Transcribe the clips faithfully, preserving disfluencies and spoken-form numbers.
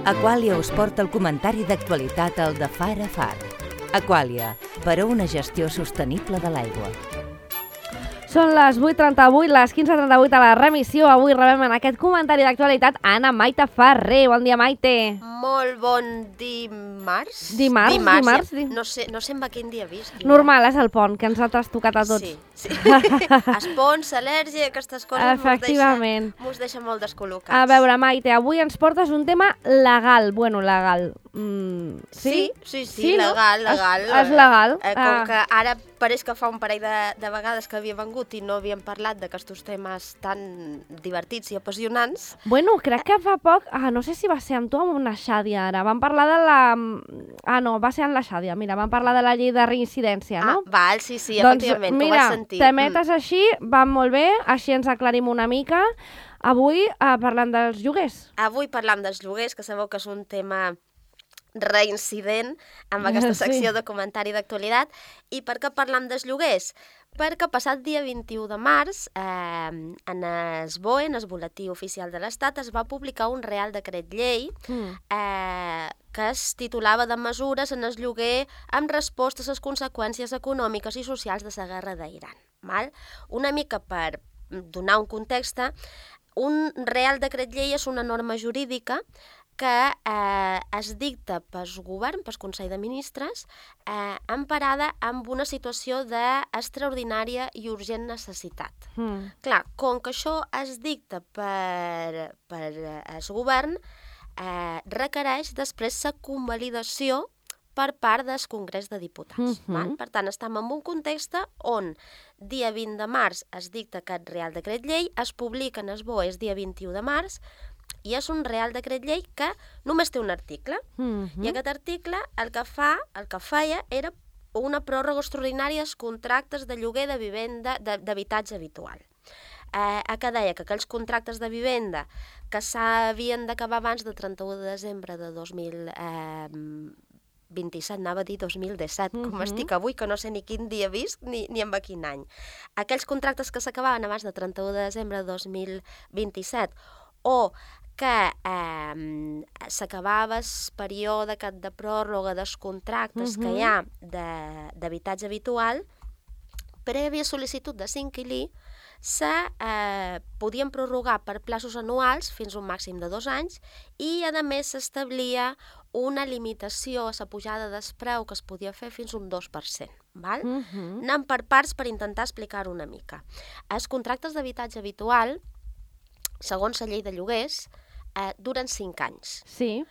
Aqualia us porta el comentari d'actualitat al de Far a Far. Aqualia, per a una gestió sostenible de l'aigua. Són les vuit trenta-vuit, les quinze trenta-vuit a la remissió. Avui rebem en aquest comentari d'actualitat Anna Maite Ferrer. Bon dia, Maite. Molt bon dimarts. Dimarts, dimarts. dimarts ja. no, sé, no sé en quin dia visc. Normal, és el pont, que ens ha trastocat a tots. Sí, sí. Els ponts, al·lèrgia, aquestes coses Efectivament. mos deixa, deixa molt descol·locats. A veure, Maite, avui ens portes un tema legal. Bueno, legal. Mm, sí? Sí, sí, sí, sí legal, no? legal. És, és legal. Eh, com ah. que ara pareix que fa un parell de, de vegades que havia vengut i no havíem parlat d'aquests temes tan divertits i apassionants. Bueno, crec que fa poc, ah, no sé si va ser amb tu o amb una Xàdia ara, vam parlar de la... Ah, no, va ser amb la Xàdia, mira, vam parlar de la llei de reincidència, no? Ah, val, sí, sí, doncs, efectivament, mira, ho vaig sentir. Te metes mm. així, va molt bé, així ens aclarim una mica. Avui eh, parlant dels lloguers. Avui parlam dels lloguers, que sabeu que és un tema reincident amb aquesta secció sí. de comentari d'actualitat. I per què parlam dels lloguers? Perquè passat dia vint-i-u de març, eh, en el B O E, en el Boletí Oficial de l'Estat, es va publicar un Real Decret Llei mm. eh, que es titulava de mesures en el lloguer amb resposta a les conseqüències econòmiques i socials de la guerra d'Iran. Val? Una mica per donar un context, un Real Decret Llei és una norma jurídica que eh, es dicta pel govern, pel Consell de Ministres, eh, emparada amb una situació d'extraordinària i urgent necessitat. Mm. Clar, com que això es dicta per, per el govern, eh, requereix després la convalidació per part del Congrés de Diputats. Mm-hmm. Val? Per tant, estem en un context on dia vint de març es dicta aquest Real Decret Llei, es publica en el B O E el dia vint-i-u de març, i és un Real Decret Llei que només té un article. Mm-hmm. I aquest article el que fa, el que feia era una pròrroga extraordinària als contractes de lloguer de vivenda d'habitatge habitual. Eh, que deia que aquells contractes de vivenda que s'havien d'acabar abans del trenta-u de desembre de dos mil vint-i-set, anava a dir dos mil disset, mm-hmm. com estic avui, que no sé ni quin dia visc ni, ni en quin any. Aquells contractes que s'acabaven abans del trenta-u de desembre de dos mil vint-i-set o que eh, s'acabava el període de pròrroga dels contractes mm-hmm. que hi ha d'habitatge habitual, prèvia sol·licitud de l'inquilí, se eh, podien prorrogar per plaços anuals fins a un màxim de dos anys i, a més, s'establia una limitació a la pujada del preu que es podia fer fins a un dos per cent. Val? Mm-hmm. Anem per parts per intentar explicar-ho una mica. Els contractes d'habitatge habitual, segons la llei de lloguers, eh, duren cinc anys. Sí.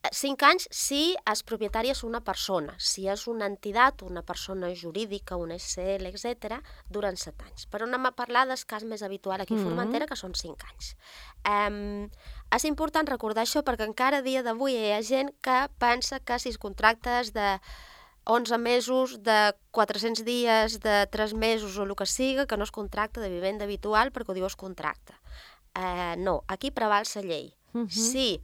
Cinc anys si el propietari és una persona. Si és una entitat, una persona jurídica, una S L, etcètera, duren set anys. Però anem a parlar del cas més habitual aquí a mm-hmm. Formentera, que són cinc anys. Um, és important recordar això perquè encara a dia d'avui hi ha gent que pensa que si els contractes de onze mesos, de quatre-cents dies, de tres mesos o el que siga, que no es contracte de vivenda habitual perquè ho diu el contracte. Uh, no, aquí preval la llei. Mm-hmm. Si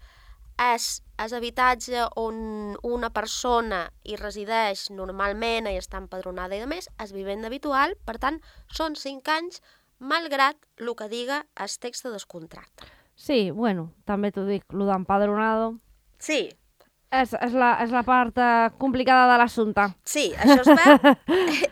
és, és habitatge on una persona hi resideix normalment i està empadronada i de més, és vivenda habitual, per tant, són cinc anys, malgrat el que diga el text del contracte. Sí, bueno, també t'ho dic, el d'empadronado... Sí. És, és, la, és la part eh, complicada de l'assumpte. Sí, això es va,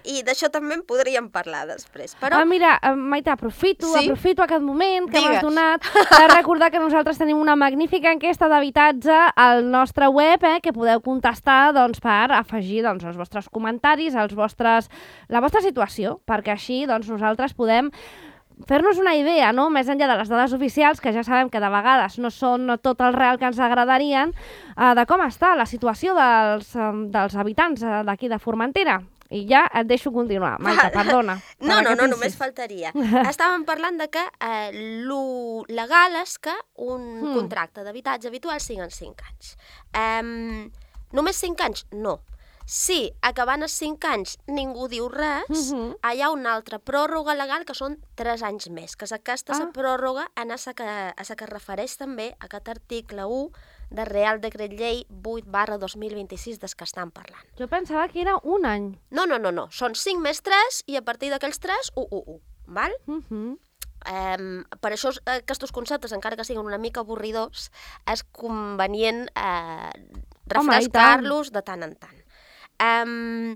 i d'això també en podríem parlar després. Però... Ah, mira, Maite, aprofito, sí? aprofito aquest moment que m'has donat per recordar que nosaltres tenim una magnífica enquesta d'habitatge al nostre web, eh, que podeu contestar doncs, per afegir doncs, els vostres comentaris, els vostres, la vostra situació, perquè així doncs, nosaltres podem fer-nos una idea, no? Més enllà de les dades oficials, que ja sabem que de vegades no són tot el real que ens agradarien, eh, de com està la situació dels, eh, dels habitants d'aquí de Formentera. I ja et deixo continuar, Maite, perdona. No, no, no, només faltaria. Estàvem parlant de que eh, lo legal és que un mm. contracte d'habitatge habitual siguin cinc anys. Um, només cinc anys? No. Si acabant els cinc anys ningú diu res, uh-huh. hi ha una altra pròrroga legal que són tres anys més, que és aquesta ah. pròrroga en a la que, a la que refereix també a aquest article u de Real Decret Llei vuit barra dos mil vint-i-sis des que estan parlant. Jo pensava que era un any. No, no, no, no. Són cinc més tres i a partir d'aquells tres, u, u, u. Val? Uh-huh. Um, per això aquests conceptes, encara que siguin una mica avorridors, és convenient uh, refrescar-los de tant en tant. Um,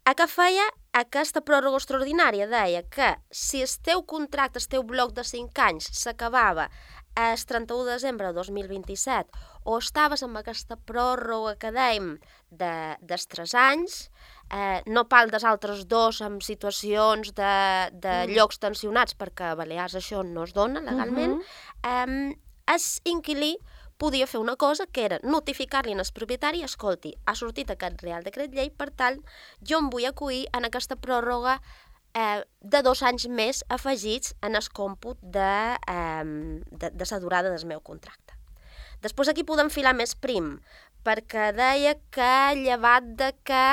a què feia aquesta pròrroga extraordinària? Deia que si el teu contracte, el teu bloc de cinc anys s'acabava el trenta-u de desembre de dos mil vint-i-set o estaves amb aquesta pròrroga que dèiem de, dels tres anys, eh, no pal dels altres dos en situacions de, de mm. llocs tensionats, perquè a Balears això no es dona legalment, mm-hmm. eh, el inquilí podia fer una cosa que era notificar-li al propietari: escolti, ha sortit aquest Real Decret Llei, per tant, jo em vull acollir en aquesta pròrroga eh, de dos anys més afegits en el còmput de, eh, de, de la durada del meu contracte. Després aquí podem filar més prim, perquè deia que llevat de que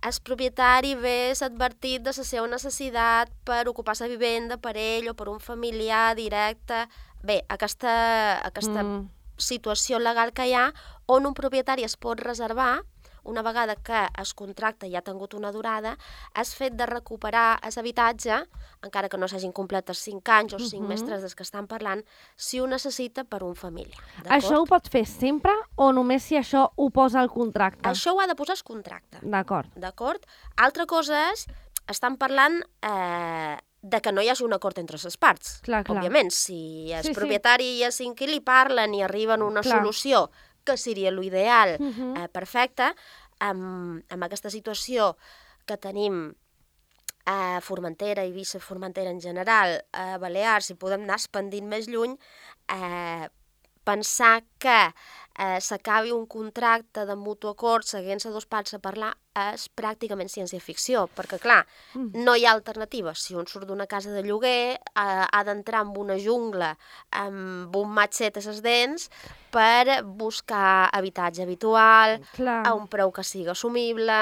el propietari hagués advertit de la seva necessitat per ocupar la vivenda per ell o per un familiar directe. Bé, aquesta, aquesta mm. situació legal que hi ha on un propietari es pot reservar, una vegada que el contracte ja ha tingut una durada, és fet de recuperar l'habitatge, encara que no s'hagin complet els cinc anys o cinc uh-huh. mestres dels que estan parlant, si ho necessita per un família. Això ho pot fer sempre o només si això ho posa al contracte? Això ho ha de posar el contracte. D'acord. D'acord? Altra cosa és, estan parlant eh, de que no hi hagi un acord entre les parts. Clar, clar. Òbviament, si el sí, propietari sí. i el inquilí parlen i arriben a una clar. solució que seria l'ideal, uh-huh. eh, perfecte, amb, amb aquesta situació que tenim a Formentera, Eivissa, Formentera en general, a Balears, si podem anar expandint més lluny, eh, pensar que eh, s'acabi un contracte de mutu acord seguint-se dos parts a parlar és pràcticament ciència-ficció, perquè, clar, mm. no hi ha alternativa. Si un surt d'una casa de lloguer, eh, ha d'entrar en una jungla amb un matxet a les dents per buscar habitatge habitual, clar. a un preu que sigui assumible,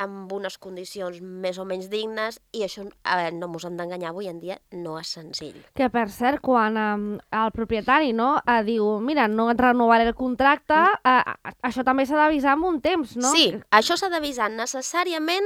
amb unes condicions més o menys dignes, i això, eh, no mos hem d'enganyar, avui en dia no és senzill. Que, per cert, quan eh, el propietari no, eh, diu, mira, no et renovaré el contracte, eh, això també s'ha d'avisar amb un temps, no? Sí, això s'ha d'avisar necessàriament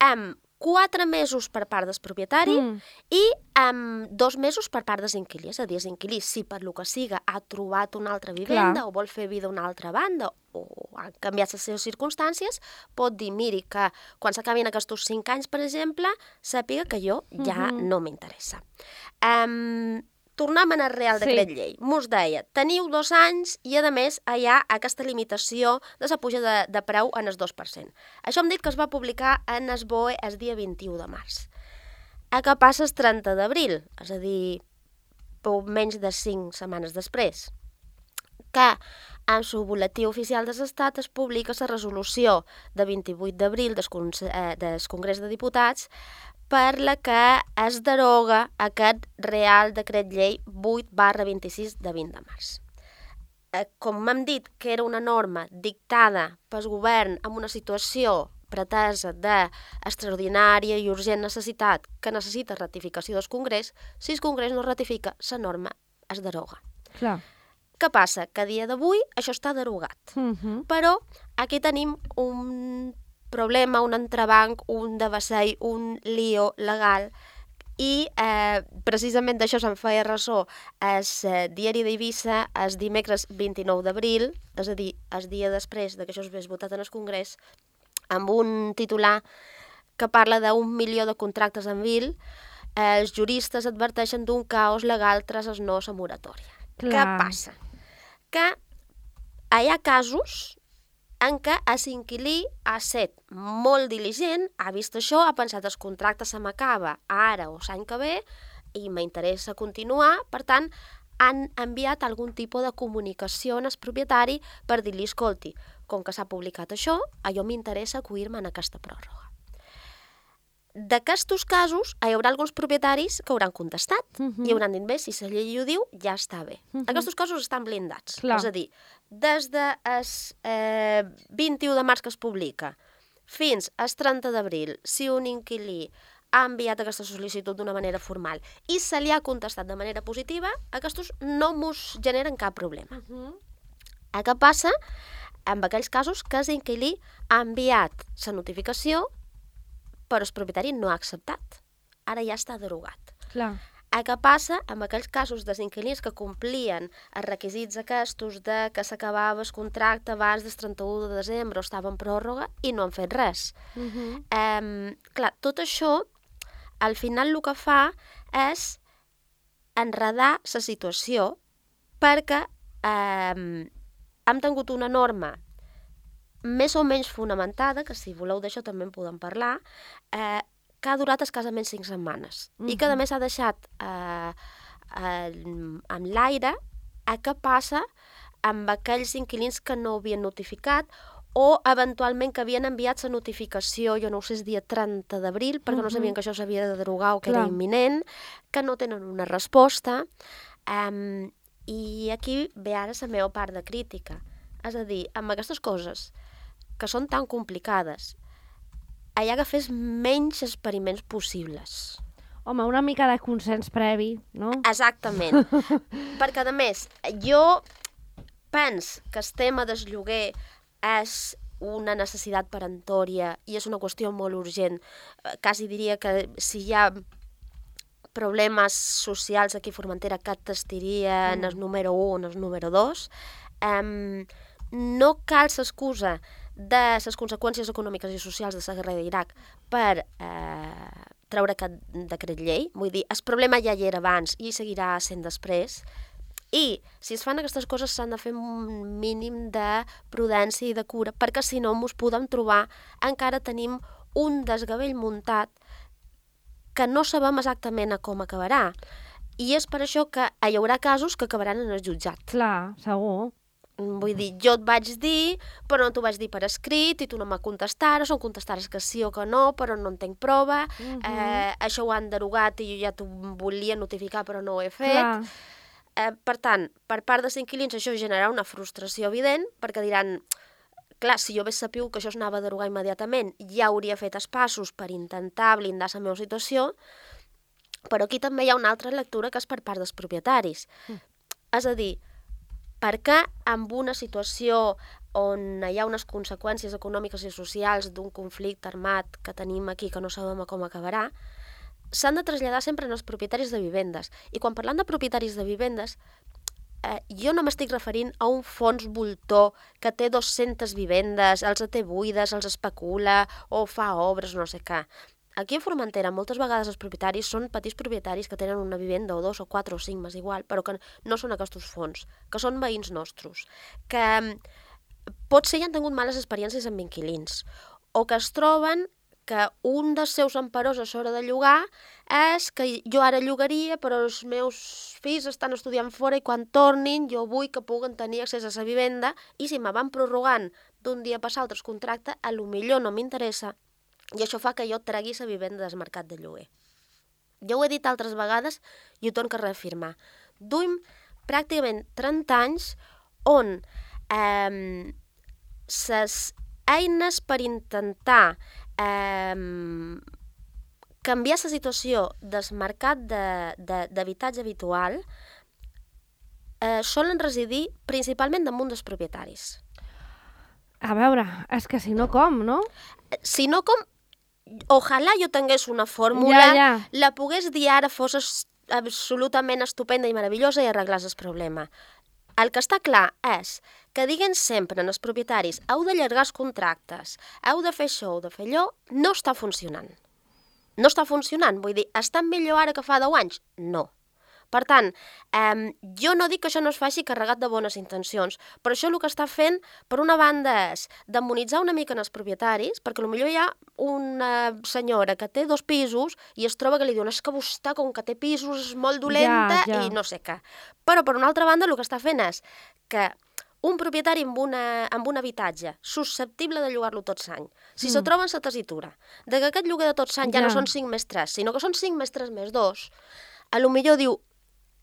amb quatre mesos per part del propietari mm. i amb dos mesos per part dels inquilís. És a dir, els inquilís, si per lo que siga ha trobat una altra vivenda Clar. o vol fer vida a una altra banda o han canviat les seves circumstàncies, pot dir, miri, que quan s'acabin aquests cinc anys, per exemple, sàpiga que jo ja mm-hmm. no m'interessa. Um, Tornem al Real Decret sí. Llei. Mos deia, teniu dos anys i, a més, hi ha aquesta limitació de la puja de, de preu en el dos per cent. Això hem dit que es va publicar en el B O E el dia vint-i-u de març. A què passa el trenta d'abril? És a dir, menys de cinc setmanes després, que en el boletí oficial de l'Estat es publica la resolució de vint-i-vuit d'abril del, eh, del Congrés de Diputats per la que es deroga aquest Real Decret Llei vuit barra vint-i-sis de vint de març. Eh, com hem dit que era una norma dictada pel govern en una situació pretesa d'extraordinària i urgent necessitat que necessita ratificació del Congrés, si el Congrés no ratifica, la norma es deroga. Clar. Què passa? Que a dia d'avui això està derogat. Uh-huh. Però aquí tenim un problema, un entrebanc, un devessall, un lío legal, i eh, precisament d'això se'n feia ressò el eh, diari d'Eivissa el dimecres vint-i-nou d'abril, és a dir, el dia després que això es hagués votat en el Congrés, amb un titular que parla d'un milió de contractes en vil. Eh, els juristes adverteixen d'un caos legal tras el no a moratòria. Clar. Què passa? Que hi ha casos en què l'inquilí ha estat molt diligent, ha vist això, ha pensat el contracte se m'acaba ara o l'any que ve i m'interessa continuar, per tant, han enviat algun tipus de comunicació al propietari per dir-li, escolti, com que s'ha publicat això, a jo m'interessa acollir-me en aquesta pròrroga. D'aquests casos, hi haurà alguns propietaris que hauran contestat uh-huh. i hauran dit, bé, si la llei ho diu, ja està bé. Uh-huh. Aquests casos estan blindats. Clar. És a dir, des del eh, vint-i-u de març que es publica fins al trenta d'abril, si un inquilí ha enviat aquesta sol·licitud d'una manera formal i se li ha contestat de manera positiva, aquests no mos generen cap problema. Uh-huh. Què passa amb aquells casos que l'inquilí ha enviat la notificació però el propietari no ha acceptat. Ara ja està derogat. Clar. A què passa amb aquells casos dels inquilins que complien els requisits aquests de que s'acabava el contracte abans del trenta-u de desembre o estava en pròrroga i no han fet res. Uh-huh. Um, clar, tot això, al final el que fa és enredar la situació perquè um, hem tingut una norma més o menys fonamentada, que si voleu d'això també en podem parlar, eh, que ha durat escassament cinc setmanes mm-hmm. i que a més ha deixat eh, eh, en l'aire a què passa amb aquells inquilins que no havien notificat o eventualment que havien enviat la notificació, jo no ho sé, el dia trenta d'abril, perquè mm-hmm. no sabien que això s'havia de derogar o que Clar. Era imminent, que no tenen una resposta. Um, I aquí ve ara la meva part de crítica. És a dir, amb aquestes coses que són tan complicades, hi ha que fer menys experiments possibles. Home, una mica de consens previ, no? Exactament. Perquè, a més, jo penso que el tema del lloguer és una necessitat peremptòria i és una qüestió molt urgent. Quasi diria que si hi ha problemes socials aquí a Formentera que t'estirien mm. el número u o el número dos, um, no cal l'excusa de les conseqüències econòmiques i socials de la guerra d'Iraq per eh, treure aquest decret llei. Vull dir, el problema ja hi era abans i seguirà sent després. I si es fan aquestes coses s'han de fer un mínim de prudència i de cura, perquè si no ens podem trobar, encara tenim un desgavell muntat que no sabem exactament a com acabarà. I és per això que hi haurà casos que acabaran en el jutjat. Clar, segur. Vull dir, jo et vaig dir, però no t'ho vaig dir per escrit i tu no me contestares, o em contestares que sí o que no, però no en tinc prova. Uh-huh. eh, això ho han derogat i jo ja t'ho volia notificar, però no ho he fet. Eh, per tant, per part dels inquilins això generarà una frustració evident, perquè diran, clar, si jo hagués sabut que això es anava a derogar immediatament, ja hauria fet els passos per intentar blindar la meva situació, però aquí també hi ha una altra lectura que és per part dels propietaris. Uh. És a dir, perquè en una situació on hi ha unes conseqüències econòmiques i socials d'un conflicte armat que tenim aquí que no sabem com acabarà, s'han de traslladar sempre als propietaris de vivendes. I quan parlant de propietaris de vivendes, eh, jo no m'estic referint a un fons voltor que té dues-centes vivendes, els té buides, els especula o fa obres, no sé què. Aquí a Formentera moltes vegades els propietaris són petits propietaris que tenen una vivenda o dos o quatre o cinc, m'és igual, però que no són aquests fons, que són veïns nostres, que potser ja han tingut males experiències amb inquilins, o que es troben que un dels seus emperors a l'hora de llogar és que jo ara llogaria però els meus fills estan estudiant fora i quan tornin jo vull que puguen tenir accés a la vivenda i si me van prorrogant d'un dia per l'altre el contracte, a lo millor no m'interessa. I això fa que jo tregui la vivenda del mercat de lloguer. Jo ho he dit altres vegades i ho torno a reafirmar. Duim pràcticament trenta anys on eh, les eines per intentar eh, canviar la situació del mercat d'habitatge habitual eh, solen residir principalment damunt dels propietaris. A veure, és que si no com, no? Si no com, ojalà jo tingués una fórmula, ja, ja. la pogués dir ara, fos absolutament estupenda i meravellosa i arreglàs el problema. El que està clar és que diguen sempre als propietaris heu d'allargar els contractes, heu de fer això, heu de fer allò, no està funcionant. No està funcionant, vull dir, està millor ara que fa deu anys? No. Per tant, eh, jo no dic que això no es faci carregat de bones intencions, però això el que està fent, per una banda, és demonitzar una mica en els propietaris, perquè potser hi ha una senyora que té dos pisos i es troba que li diuen és que vostè, com que té pisos, és molt dolenta ja, ja. i no sé què. Però, per una altra banda, el que està fent és que un propietari amb, una, amb un habitatge susceptible de llogar-lo tot l'any, si mm. se troba en la tessitura de que aquest lloguer de tot l'any ja. ja no són cinc més tres, sinó que són cinc més tres més dos, a lo millor diu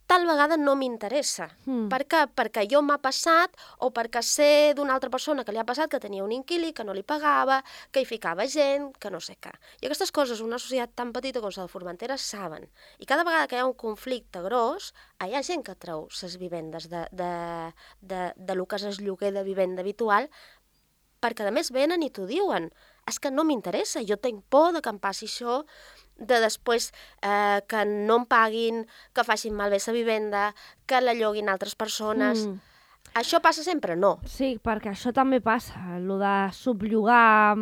tal vegada no m'interessa. Mm. Per què? Perquè jo m'ha passat o perquè sé d'una altra persona que li ha passat que tenia un inquilí, que no li pagava, que hi ficava gent, que no sé què. I aquestes coses una societat tan petita com la de Formentera saben. I cada vegada que hi ha un conflicte gros, hi ha gent que treu les vivendes de, de, de, de lo que és el lloguer de vivenda habitual, perquè a més venen i t'ho diuen. És que no m'interessa, jo tinc por de que em passi això. de després eh, que no em paguin, que facin malbé la vivenda, que la lloguin altres persones. Mm. Això passa sempre? No. Sí, perquè això també passa, el de subllogar...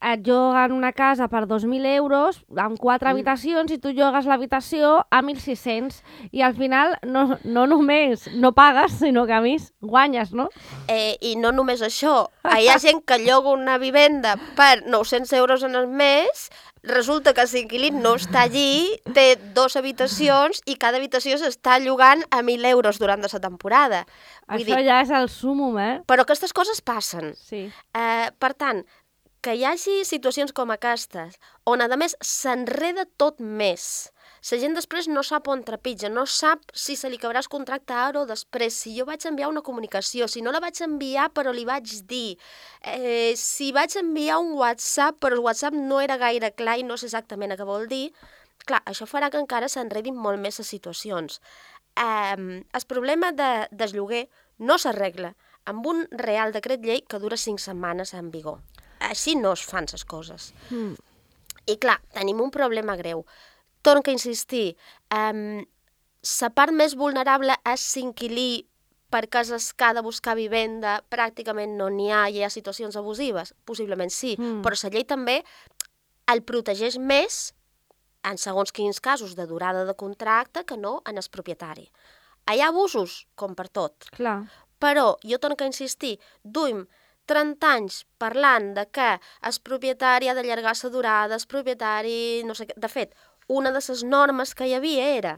Et lloguen una casa per dos mil euros amb quatre mm. habitacions i tu llogues l'habitació a mil sis-cents i al final no, no només no pagues, sinó que a més guanyes, no? Eh, I no només això. Hi ha gent que lloga una vivenda per nou-cents euros en el mes, resulta que l'inquilí no està allí, té dues habitacions i cada habitació s'està llogant a mil euros durant la temporada. Vull això dir, ja és el súmum, eh? Però aquestes coses passen. Sí. Eh, per tant, que hi hagi situacions com aquestes, on a més s'enreda tot més. La gent després no sap on trepitja, no sap si se li acabarà el contracte ara o després, si jo vaig enviar una comunicació, si no la vaig enviar però li vaig dir, eh, si vaig enviar un WhatsApp però el WhatsApp no era gaire clar i no sé exactament què vol dir, clar, això farà que encara s'enredin molt més les situacions. Eh, el problema de, del lloguer no s'arregla amb un Real Decret Llei que dura cinc setmanes en vigor. Així no es fan les coses. Mm. I clar, tenim un problema greu. Torno a insistir, um, la part més vulnerable és l'inquilí perquè és el que ha de buscar vivenda, pràcticament no n'hi ha, hi ha situacions abusives, possiblement sí, mm. però la llei també el protegeix més en segons quins casos de durada de contracte que no en el propietari. Hi ha abusos, com per tot. Clar. Però jo torno a insistir, duim trenta anys parlant de que el propietari ha d'allargar la durada, el propietari... no sé què. De fet, una de les normes que hi havia era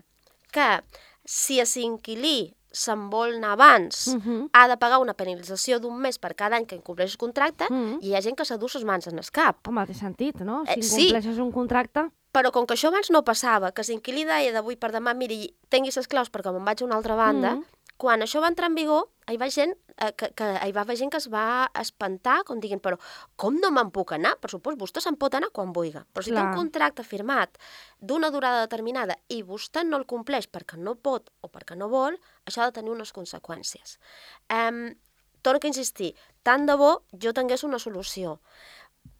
que si l'inquilí se'n vol anar abans, uh-huh. ha de pagar una penalització d'un mes per cada any que incompleix el contracte, uh-huh. i hi ha gent que s'adú les mans en el cap. Home, té sentit, no? Si eh, incompleixes sí. un contracte... Però com que això abans no passava, que l'inquilí deia d'avui per demà, miri, tingui les claus perquè me'n vaig a una altra banda, uh-huh. quan això va entrar en vigor, hi va gent eh, que, que, hi va haver gent que es va espantar, com diguin, però com no me'n puc anar? Per supost, vostè se'n pot anar quan vulgui. Però si Clar. té un contracte firmat d'una durada determinada i vostè no el compleix perquè no pot o perquè no vol, això ha de tenir unes conseqüències. Um, torno a insistir, tant de bo jo tingués una solució.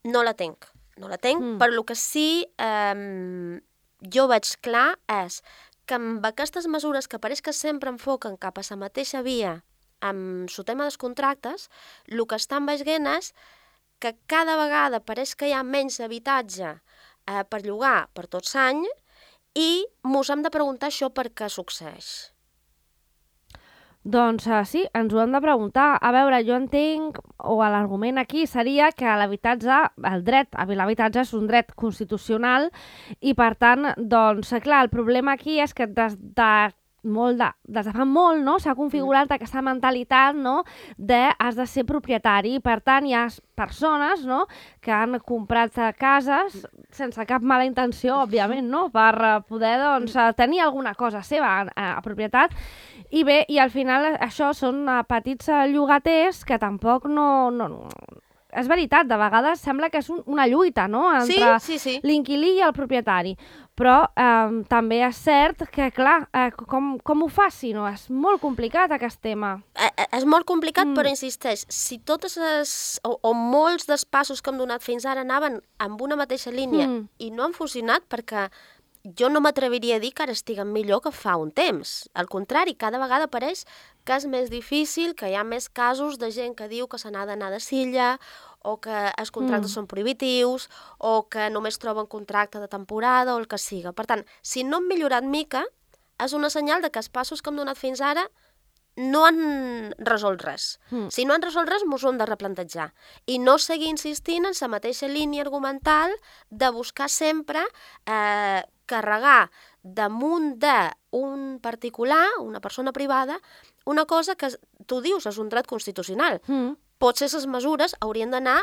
No la tinc, no la tinc, mm. però el que sí um, jo veig clar és que amb aquestes mesures que pareix que sempre enfoquen cap a la mateixa via amb el tema dels contractes, el que estan veient és que cada vegada pareix que hi ha menys habitatge eh, per llogar per tot l'any i mos hem de preguntar això per què succeeix. Doncs uh, sí, ens ho hem de preguntar. A veure, jo entenc, o l'argument aquí seria que l'habitatge, el dret a l'habitatge és un dret constitucional i per tant, doncs, clar, el problema aquí és que des de molt de, des de fa molt, no?, s'ha configurat mm. aquesta mentalitat, no?, de has de ser propietari. Per tant, hi ha persones, no?, que han comprat cases sense cap mala intenció, òbviament, no?, per poder, doncs, tenir alguna cosa seva a, a propietat. I bé, i al final això són petits llogaters que tampoc no... no és veritat, de vegades sembla que és un, una lluita, no?, entre sí, sí, sí. l'inquilí i el propietari. Però eh, també és cert que, clar, eh, com, com ho faci, no? És molt complicat aquest tema. Eh, eh, és molt complicat, mm. però insisteix, si totes les, o, o molts dels passos que hem donat fins ara anaven amb una mateixa línia mm. i no han funcionat perquè jo no m'atreviria a dir que ara estiguen millor que fa un temps. Al contrari, cada vegada pareix que és més difícil, que hi ha més casos de gent que diu que se n'ha d'anar de silla o que els contractes mm. són prohibitius o que només troben contracte de temporada o el que siga. Per tant, si no hem millorat mica, és una senyal de que els passos que hem donat fins ara no han resolt res. Mm. Si no han resolt res, mos ho hem de replantejar. I no seguir insistint en la mateixa línia argumental de buscar sempre eh, carregar damunt d'un particular, una persona privada, una cosa que tu dius és un dret constitucional. Mm. Potser les mesures haurien d'anar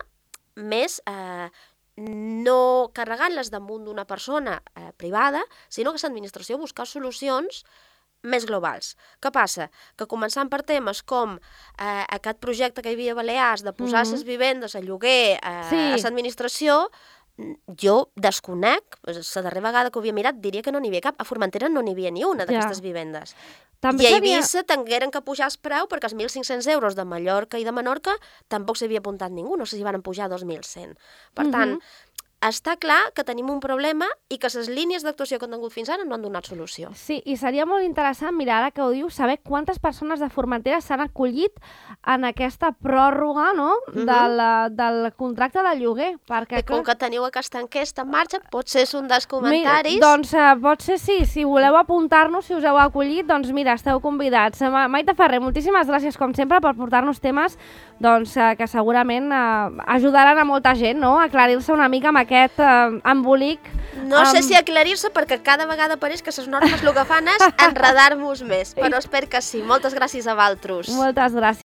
més eh, no carregant-les damunt d'una persona eh, privada, sinó que l'administració buscar solucions més globals. Què passa? Que començant per temes com eh, aquest projecte que hi havia a Balears de posar les mm-hmm. vivendes a lloguer eh, sí. a l'administració, jo desconec, la darrera vegada que ho havia mirat diria que no n'hi havia cap. A Formentera no n'hi havia ni una d'aquestes ja. vivendes. També I a Eivissa havia... tingueren que pujar el preu perquè els mil cinc-cents euros de Mallorca i de Menorca tampoc s'havia apuntat ningú, no sé si van pujar dos mil cent. Per tant, mm-hmm. està clar que tenim un problema i que les línies d'actuació que han tingut fins ara no han donat solució. Sí, i seria molt interessant, mira, ara que ho dius, saber quantes persones de Formentera s'han acollit en aquesta pròrroga, no?, uh-huh. de la, del contracte de lloguer. Perquè, I com que teniu aquesta enquesta en marxa, potser és un dels comentaris... Mira, doncs uh, pot ser sí, si voleu apuntar-nos, si us heu acollit, doncs mira, esteu convidats. Maite Ferrer, moltíssimes gràcies, com sempre, per portar-nos temes doncs, uh, que segurament uh, ajudaran a molta gent, no?, a aclarir-se una mica amb aquest uh, embolic. No um... sé si aclarir-se, perquè cada vegada pareix que les normes el que fan és enredar-nos més, però espero que sí. Moltes gràcies a vosaltres. Moltes gràcies.